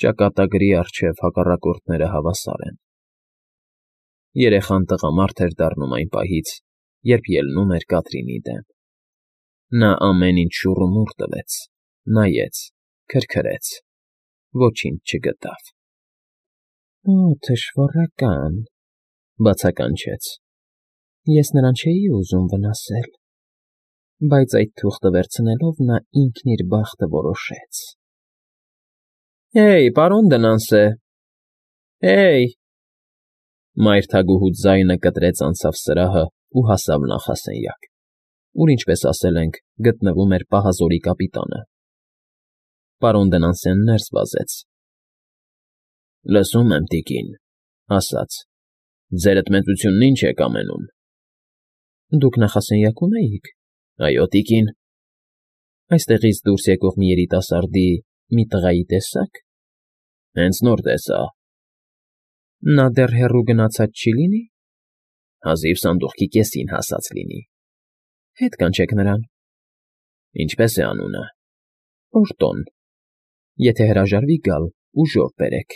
Ճակատագրի առջև հակառակորդները հավասար են։ Երեխան տղամարդ էր դառնում այն պահից, երբ ելնում էր Կատրինի դեմ։ Նա ամեն ինչ շուռումուռ տվեց, նայեց, քրքրեց, ոչինչ չգտավ։ ֊ Օ, թշվառական,֊ բացականչեց։ Ես նրան չէի ուզում վնասել, բայց այդ թուղթը վերցնելով նա ինքն իր բախտը որոշեց։ Հե՜յ, պարոն Դնանսե, հե՜յ… Մայրթագուհու ձայնը կտրեց անցավ սրահն ու հասավ նախասենյակ, ուր, ինչպես ասել ենք, գտնվում էր պահազորի կապիտանը։ Պարոն Դնանսեն ներս վազեց։ ֊ Լսում եմ, տիկին,֊ ասաց,֊ ձերդ մեծությունն ինչ եք ամենում։ ֊ Դուք նախասենյակո՞ւմ էիք։ ֊ Այո, տիկին։ ֊ Այստեղից դուրս եկող մի երիտասարդի, մի տղայի տեսա՞ք։ ֊ Հենց նոր տեսա։ ֊ Նա դեռ հեռու գնացած չի՞ լինի։ ֊ Հազիվ սանդուղքի կեսին հասած լինի։ ֊ Հետ կանչեք նրան։ ֊ Ինչպե՞ս է անունը։ ֊ Օրտոն։ Եթե հրաժարվի գալ, ուժով բերեք,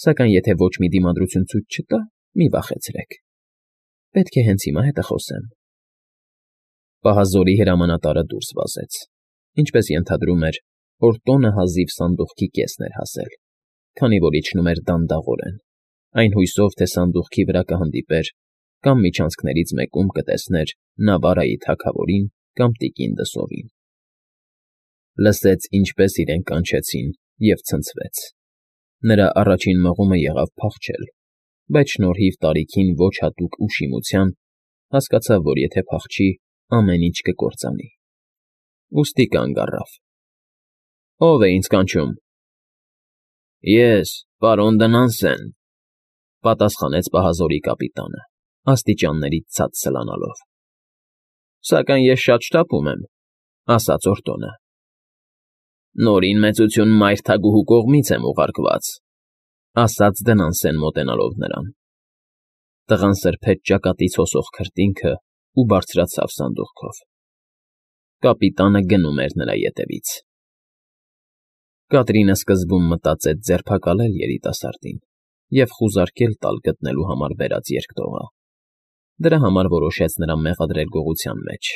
սակայն եթե ոչ մի դիմադրություն ցույց չտա, մի վախեցրեք։ Պետք է հենց հիմա հետը խոսեմ։ Պահազորի հրամանատարը դուրս վազեց։ Ինչպես ենթադրում էր, Օրտոնը հազիվ սանդուղքի կեսն էր հասել, քանի որ իջնում էր դանդաղորեն, այն հույսով, թե սանդուղքի վրա կհանդիպեր կամ միջանցքներից մեկում կտեսներ Նավարայի թագավորին կամ տիկին Դսովին։ Լսեց, ինչպես իրեն կանչեցին, և ցնցվեց։ Նրա առաջին մղումը եղավ փախչել, բայց շնորհիվ տարիքին ոչ հատուկ ուշիմության հասկացավ, որ եթե փախչի, ամեն ինչ կկործանի։ Ուստի կանգ առավ։ ֊ Ո՞վ է ինձ կանչում։ ֊ Ես, պարոն Դնանսեն,֊ պատասխանեց պահազորի կապիտանը, աստիճաններից ցած սլանալով։ ֊ Սակայն ես շատ շտապում եմ,֊ ասաց Օրտոնը։ ֊ Նորին մեծություն մայրթագուհու կողմից եմ ուղարկված,֊ ասաց Դնանսեն մոտենալով նրան։ Տղան սրբեց ճակատից հոսող քրտինքն ու բարձրացավ սանդուղքով։ Կապիտանը գնում էր նրա ետևից։ Կատրինը սկզբում մտածեց ձերբակալել երիտասարդին և խուզարկել տալ գտնելու համար բերած երկտողը։ Դրա համար որոշեց նրան մեղադրել գողության մեջ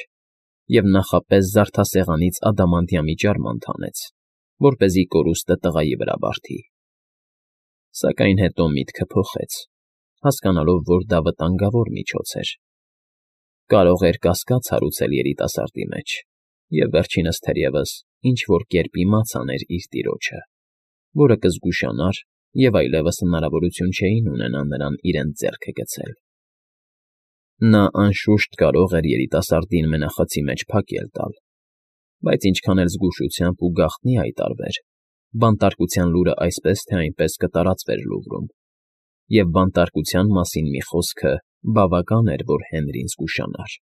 և նախապես զարդասեղանից ադամանդյամի ջարմանդ հանեց, որպեսզի կորուստը տղայի վրա բարդի։ Սակայն հետո միտքը փոխեց, հասկանալով, որ դա վտանգավոր միջոց էր։ Կարող էր կասկած հարուցել երիտասարդի մեջ և վերջինս թերևս ինչ֊որ կերպ իմաց աներ իր տիրոջը, որը կզգուշանար և այլևս հնարավորություն չէին ունենա նրան իրենց ձեռքը գցել։ Նա, անշուշտ, կարող էր երիտասարդին մենախցի մեջ փակել տալ, բայց ինչքան էլ զգուշությամբ ու գաղտնի հայտարվեր, բանտարկության լուրը այսպես թե այնպես կտարածվեր Լուվրում, և բանտարկության մասին մի խոսքը բավական էր, որ Հենրին զգուշանար։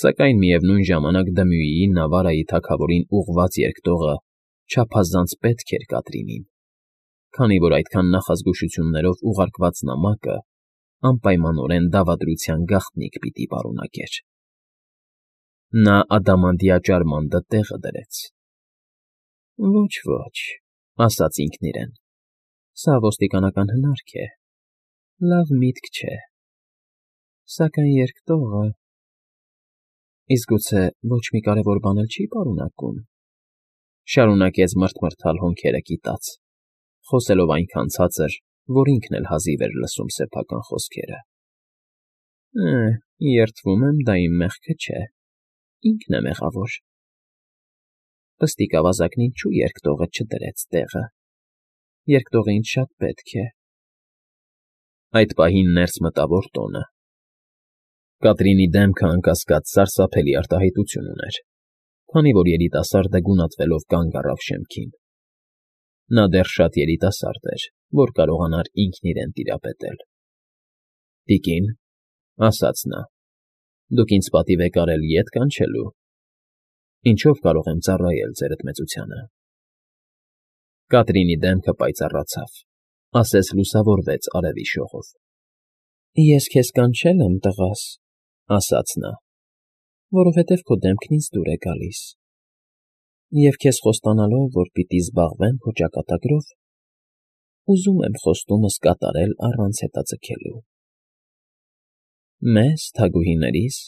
Սակայն միևնույն ժամանակ Դմյուիի Նավարայի թագավորին ուղղված երկտողը չափազանց պետք էր Կատրինին, քանի որ այդքան նախազգուշություններով ուղարկված նամակը անպայմանորեն դավադրության գաղտնիք պիտի պարունակեր։ Նա ադամանդյա ջարմանդը տեղը դրեց։ Ոչ, ասաց ինքն իրեն, սա ոստիկանական հնարք է, լավ միտք չէ, սակայն երկտողը… Իսկ գուցե ոչ մի կարևոր բան էլ չի պարունակում,֊ շարունակեց մռթմռթալ հոնքերը կիտած, խոսելով այնքան ցածր, որ ինքն էլ հազիվ էր լսում սեփական խոսքերը։ Երդվում եմ, դա իմ մեղքը չէ, ինքն է մեղավոր։ Պստիկ ավազակն ինչու երկտողը չդրեց տեղը։ Երկտողը ինձ շատ պետք է։ Այդ պահին ներս մտավ Օրտոնը։ Կատրինի դեմքը, անկասկած, սարսափելի արտահայտություն ուներ, քանի որ երիտասարդը գունատվելով կանգ առավ շեմքին։ Նա դեռ շատ երիտասարդ էր, որ կարողանար ինքն իրեն տիրապետել։ ֊ Տիկին,֊ ասաց նա,֊ դուք ինձ պատիվ եք արել ետ կանչելու։ Ինչո՞վ կարող եմ ծառայել ձերդ մեծությանը։ Կատրինի դեմքը պայծառացավ, ասես լուսավորվեց արևի շողով։ ֊ Ես քեզ կանչել եմ, տղաս,֊ ասաց նա,֊ որովհետև քո դեմքն ինձ դուր է գալիս։ Եվ քեզ խոստանալով, որ պիտի զբաղվեմ քո ճակատագրով, ուզում եմ խոստումս կատարել առանց հետաձգելու։ Մեզ, թագուհիներիս,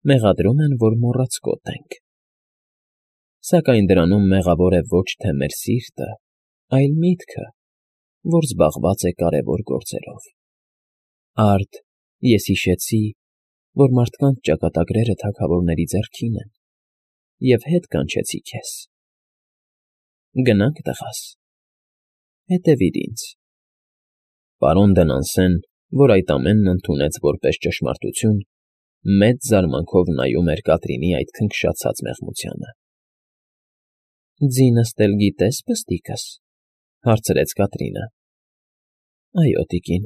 մեղադրում են, որ մոռացկոտ ենք։ Սակայն դրանում մեղավոր է ոչ թե մեր սիրտը, այլ միտքը, որ զբաղված է կարևոր գործերով։ Արդ ես հիշեցի, որ մարդկանց ճակատագրերը թագավորների ձեռքին են, և հետ կանչեցի քեզ։ Գնանք, տղաս, հետևիր ինձ։ Պարոն Դենանսեն, որ այդ ամենն ընդունեց որպես ճշմարտություն, մեծ զարմանքով նայում էր Կատրինի այդ քնքշացած մեղմությանը։ «Ձինս էլ գիտես, պստիկս», հարցրեց Կատրինը։ «Այո, տիկին,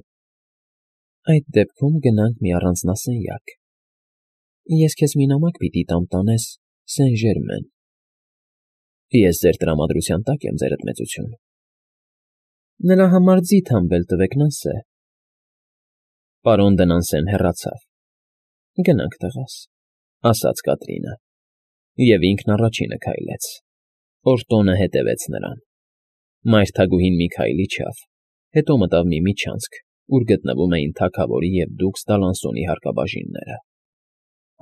այդ դեպքում գնանք մի առանձնասենյակ։ Ես քեզ մի նամակ պիտի տամ տանես Սեն֊Ժերմեն»։ «Ես ձեր տրամադրության տակ եմ, ձերդ մեծություն»։ «Նրա համար ձիթ հանվել տվեք, Նանսե»։ Պարոն Դենանսեն հեռացավ։ «Գնանք, տղաս», ասաց Կատրինը, և ինքն առաջինը քայլեց։ Օրտոնը հետևեց նրան։ Մայրթագուհին մի քայլ իջավ, հետո մտավ մի միջանցք, ուր գտնվում էին թագավորի և դուքս Դալանսոնի հարկաբաժինները։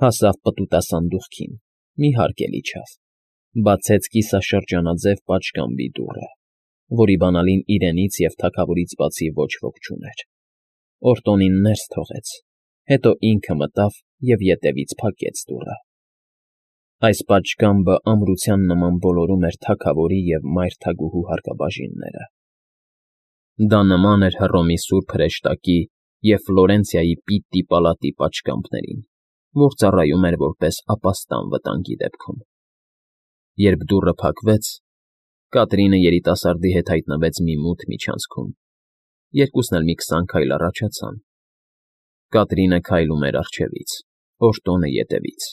Հասավ պտուտասանդուղքին, մի հարկ էլ իջավ, բացեց կիսաշրջանաձև պատշգամբի դուռը, որի բանալին իրենից և թագավորից բացի ոչ ոք չուներ։ Օրտոնին ներս թողեց, հետո ինքը մտավ և ետևից փակեց դուռը։ Այս պատշգամբը ամրության նման ոլորում էր թագավորի և մայրթագուհու հարկաբաժինները։ Դա նման էր Հռոմի Սուրբ Հրեշտակի և Ֆլորենցիայի Պիտտի պալատի պատշգամբներին, որ ծառայում էր որպես ապաստան վտանգի դեպքում։ Երբ դուռը փակվեց, Կատրինը երիտասարդի հետ հայտնվեց մի մութ միջանցքում։ Երկուսն էլ մի 20 քայլ առաջացան։ Կատրինը քայլում էր առջևից, Օրտոնը ետևից։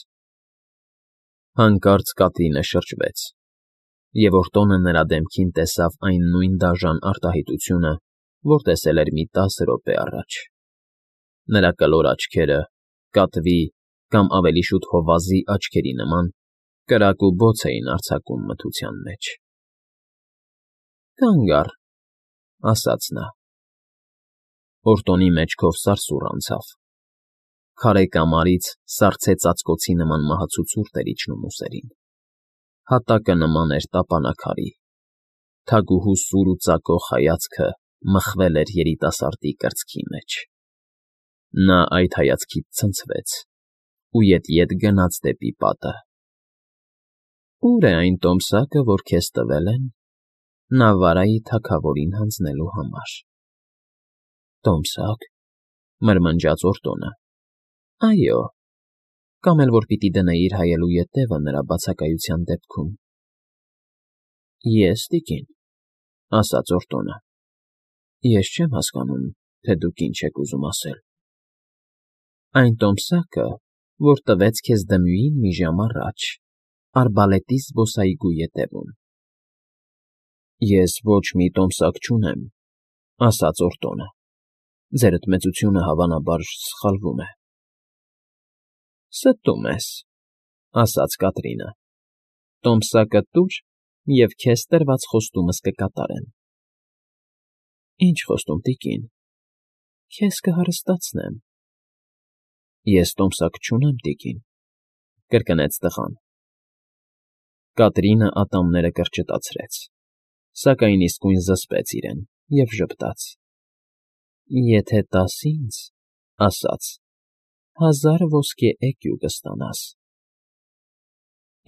Հանկարծ Կատրինը շրջվեց, և Օրտոնը նրա դեմքին տեսավ այն նույն դաժան արտահայտությունը, որ տեսել էր մի 10 րոպե առաջ։ Նրա կլոր աչքերը, կատվի կամ ավելի շուտ հովազի աչքերի նման, կրակ ու բոց էին արձակում մթության մեջ։ «Կանգ առ», ասաց նա։ Օրտոնի մեջքով սարսուռ անցավ։ Քարե կամարից սառցե ծածկոցի նման մահացու ցուրտ էր իջնում ուսերին։ Հատակը նման էր տապանաքարի։ Թագուհու սուր ու ծակող հայացքը մխվել էր երիտասարդի կրծքի մեջ։ Նա այդ հայացքից ցնցվեց ու ետ գնաց դեպի պատը։ «Ո՞ւր է այն տոմսակը, որ քեզ տվել են Նավարայի թագավորին հանձնելու համար»։ «Տոմսա՞կ», մրմնջաց Օրտոնը։ «Այո, կամ էլ որ պիտի դնեիր հայելու ետևը նրա բացակայության դեպքում»։ «Ես, տիկին», ասաց Օրտոնը։ «Ես չեմ հասկանում, թե դուք ինչ եք ուզում ասել»։ «Այն տոմսակը, որ տվեց քեզ Դմյուին մի ժամ առաջ, արբալետի զբոսայգու ետևում»։ «Ես ոչ մի տոմսակ չունեմ», ասաց Օրտոնը։ «Ձերդ մեծությունը, հավանաբար, սխալվում է»։ «Ստում ես», ասաց Կատրինը։ «Տոմսակը տուր, և քեզ տրված խոստումս կկատարեմ»։ «Ինչ խոստում, տիկին»։ «Քեզ կհարստացնեմ»։ «Ես տոմսակ չունեմ, տիկին», կրկնեց տղան։ Կատրինը ատամները կրճտացրեց, սակայն իսկույն զսպեց իրեն և ժպտաց։ «Եթե տաս ինձ, ասաց, 1000 ոսկե էկյու կստանաս»։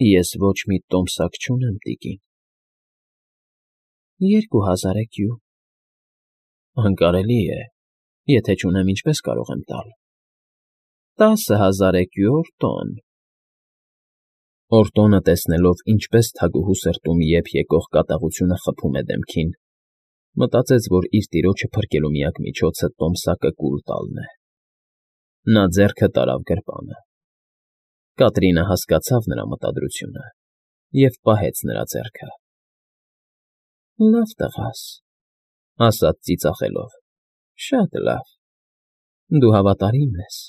«Ես ոչ մի տոմսակ չունեմ, տիկին»։ 2000 էկյու»։ «Անկարելի է, եթե չունեմ, ինչպես կարող եմ տալ»։ 10,000 էկյու, Օրտոն»։ Օրտոնը, տեսնելով, ինչպես թագուհու սրտում եփ եկող կատաղությունը խփում է դեմքին, մտածեց, որ իր տիրոջը փրկելու միակ միջոցը տոմսակը կուլ տալն է։ Նա ձեռքը տարավ գրպանը։ Կատրինը հասկացավ նրա մտադրությունը և պահեց նրա ձեռքը։ «Լավ, տղաս», ասաց ծիծաղելով, «շատ լավ, դու հավատարիմ ես»։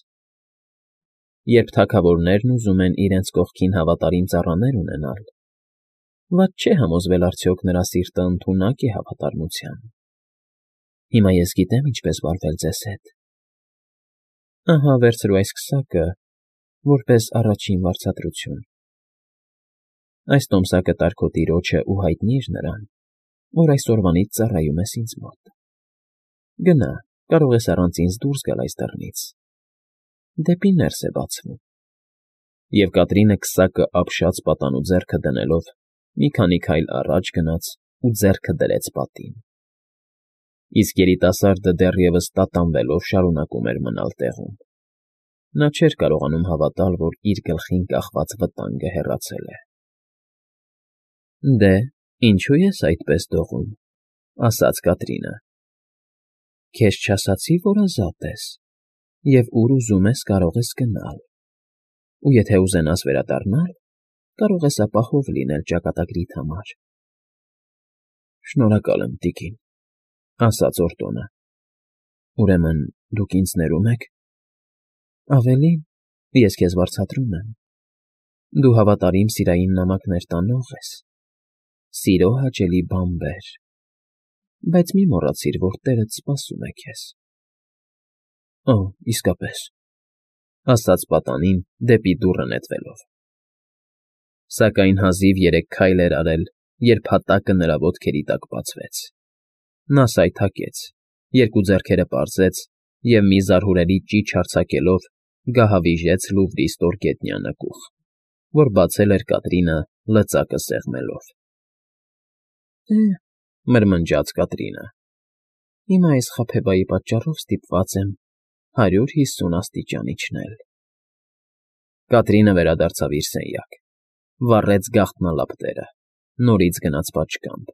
Երբ թագավորներն ուզում են իրենց կողքին հավատարիմ ծառաներ ունենալ, Վատ չէ համոզվել արդյոք նրա սիրտը ընդունակ է հավատարմության։ Հիմա ես գիտեմ ինչպես վարվել ձեզ հետ։ Ահա վերցրու այս քսակը, որպես առաջին վարձատրություն։ Այս տոմսակը տար քո տիրոջը ու հայտնիր նրան, որ այսօրվանից ծառայում ես ինձ մոտ։ Գնա, կարող ես առանց ինձ դուրս գալ այս դռնից։ Դեպի ներս է բացվում։ Եվ Կատրինը քսակը ապշած պատանու ձեռքը դնելով մի քանի քայլ առաջ գնաց ու ձեռքը դրեց պատին։ Իսկ երիտասարդը դեռևս տատանվելով շարունակում էր մնալ տեղում։ Նա չէր կարողանում հավատալ, որ իր գլխին կախված վտանգը հեռացել է։ Դե, ինչու ես այդպես դողում, ասաց Կատրինը։ Քեզ չասացի, որ ազատ ես, և ուր ուզում ես կարող ես գնալ, ու եթե ուզենաս վերադառնալ, կարող ես ապահով լինել ճակատագրիդ համար։ Շնորհակալ եմ, տիկին, ասաց Օրտոնը։ Ուրեմն դուք ինձ ներում եք։ Ավելին, ես քեզ վարձատրում եմ։ Դու հավատարիմ սիրային նամակներ տանող ես, սիրո հաճելի բանբեր, բայց մի մոռացիր, որ տերդ սպասում է քեզ։ Օ, իսկապես, ասաց պատանին դեպի դուռը նետվելով։ Սակայն հազիվ 3 քայլ էր արել, երբ հատակը նրա ոտքերի տակ բացվեց։ Նա սայթաքեց, երկու ձեռքերը պարզեց և մի զարհուրելի ճիչ արձակելով գահավիժեց Լուվրի ստորգետնյա նկուղ, որ բացել էր Կատրինը լծակը սեղմելով։ Մրմնջաց Կատրինը, հիմա այս խաբեբայի պատճառով ստիպված եմ 150 աստիճան իջնել։ Կատրինը վերադարձավ իր սենյակ, վառեց գաղտնալապտերը, նորից գնաց պատշգամբ,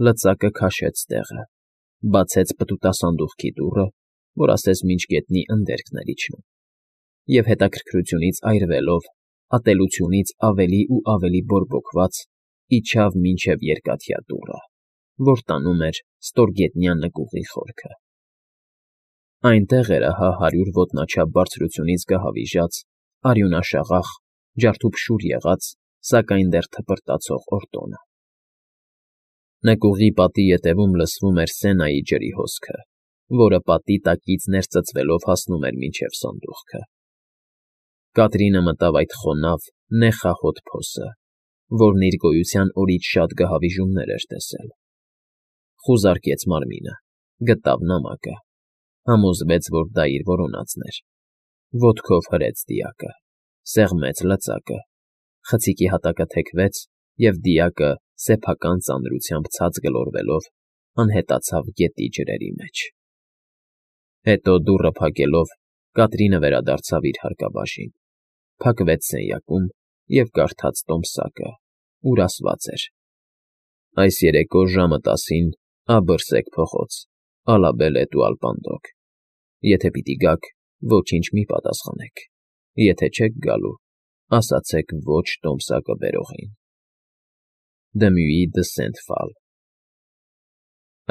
լծակը քաշեց տեղը, բացեց պտուտասանդուղքի դուռը, որ ասես մինչ գետնի ընդերքն էր իջնում, և հետաքրքրությունից այրվելով, ատելությունից ավելի ու ավելի բորբոքված, իջավ մինչև երկաթյա դուռը, որ տանում էր ստորգետնյա նկուղի խորքը։ Այնտեղ էր ահա 100 ոտնաչափ բարձրությունից գահավիժած, արյունաշաղախ, ջարդուփշուր եղած, սակայն դեռ թպրտացող Օրտոնը։ Նկուղի պատի ետևում լսվում էր Սենայի ջրի հոսքը, որը պատի տակից ներծծվելով հասնում էր մինչև սանդուղքը։ Կատրինը մտավ այդ խոնավ, նեխահոտ փոսը, որն իր գոյության օրից շատ գահավիժումներ էր տեսել։ Խուզարկեց մարմինը, գտավ նամակը, համոզվեց, որ դա իր որոնածն էր, ոտքով հրեց դիակը, սեղմեց լծակը, խցիկի հատակը թեքվեց, և դիակը սեփական ծանրությամբ ցած գլորվելով անհետացավ գետի ջրերի մեջ։ Հետո դուռը փակելով Կատրինը վերադարձավ իր հարկաբաժին, փակվեց սենյակում և կարդաց տոմսակը, ուր ասված էր. Այս երեկո ժամը 10-ին աբըրսեք փողոց, ալաբելետ ու ալպանդոկ։ Եթե պիտի գաք, ոչինչ մի պատասխանեք, եթե չեք գալու, ասացեք ոչ տոմսակը բերողին։ Դմյուի դը Սենթ֊Ֆալ։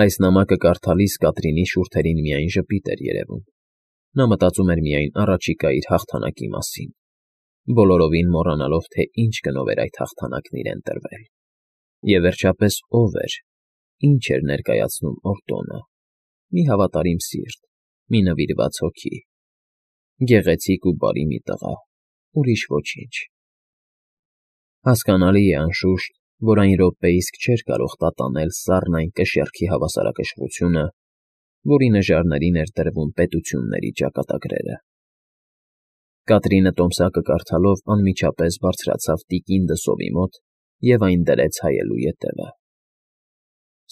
Այս նամակը կարդալիս Կատրինի շուրթերին միայն ժպիտ էր երևում։ Նա մտածում էր միայն առաջիկա իր հաղթանակի մասին, բոլորովին մոռանալով, թե ինչ գնով էր այդ հաղթանակն իրեն տրվել։ Եվ վերջապես ով էր, ինչ էր ներկայացնում Օրտոնը։ Մի հավատարիմ սիրտ, մի նվիրված հոգի, գեղեցիկ ու բարի մի տղա, ուրիշ ոչինչ։ Հասկանալի է, անշուշտ, որ այն րոպեիսկ չէր կարող տատանել սառն այն կշեռքի հավասարակշռությունը, որի նժարներին էր տրվում պետությունների ճակատագրերը։ Կատրինը տոմսակը կարդալով անմիջապես բարձրացավ տիկին դսովի մոտ և այն դրեց հայելու ետևը։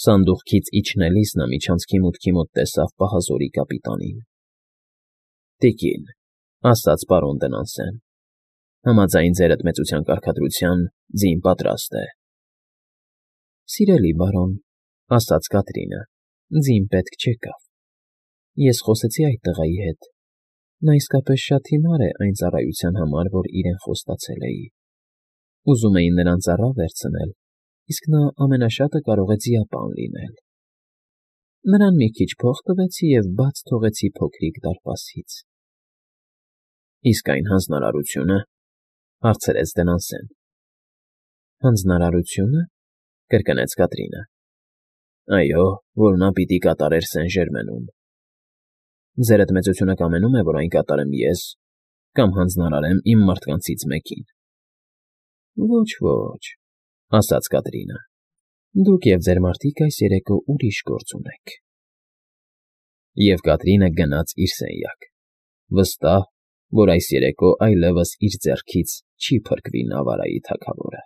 Սանդուղքից իջնելիս նա միջանցքի մուտքի մոտ տեսավ պահազորի կապիտանին։ Տիկին, ասաց պարոն Դնանսեն, համաձայն ձեր ընդմեծության կարգադրության, ձին պատրաստ է։ Սիրելի բարոն, ասաց Կատրինը, ձին պետք չեկավ։ Ես խոսեցի այդ տղայի հետ։ Նա իսկապես շատ հիմար է այն ծառայության համար, որ իրեն խոստացել էի։ Ուզում էի նրան ծառա վերցնել, իսկ նա ամենաշատը կարող է ձիապան լինել։ Նրան մի քիչ փող տվեցի և բաց թողեցի փոքրիկ դարպասից։ Իսկ այն հանձնարարությունը, հարցրեց Դնանսեն։ Հանձնարարությո՞ւնը, կրկնեց Կատրինը։ Այո, որ նա պիտի կատարեր Սեն֊Ժերմենում։ Ձերդ մեծությունը կամենում է, որ այն կատարեմ ես կամ հանձնարարեմ իմ մարդկանցից մեկին։ Ոչ, ասաց Կատրինը, դուք և ձեր մարդիկ այս երեկո ուրիշ գործ ունեք։ Եվ Կատրինը գնաց իր սենյակ, վստահ, որ այս երեկո այլևս իր ձեռքից չի փրկվի Նավարայի թագավորը։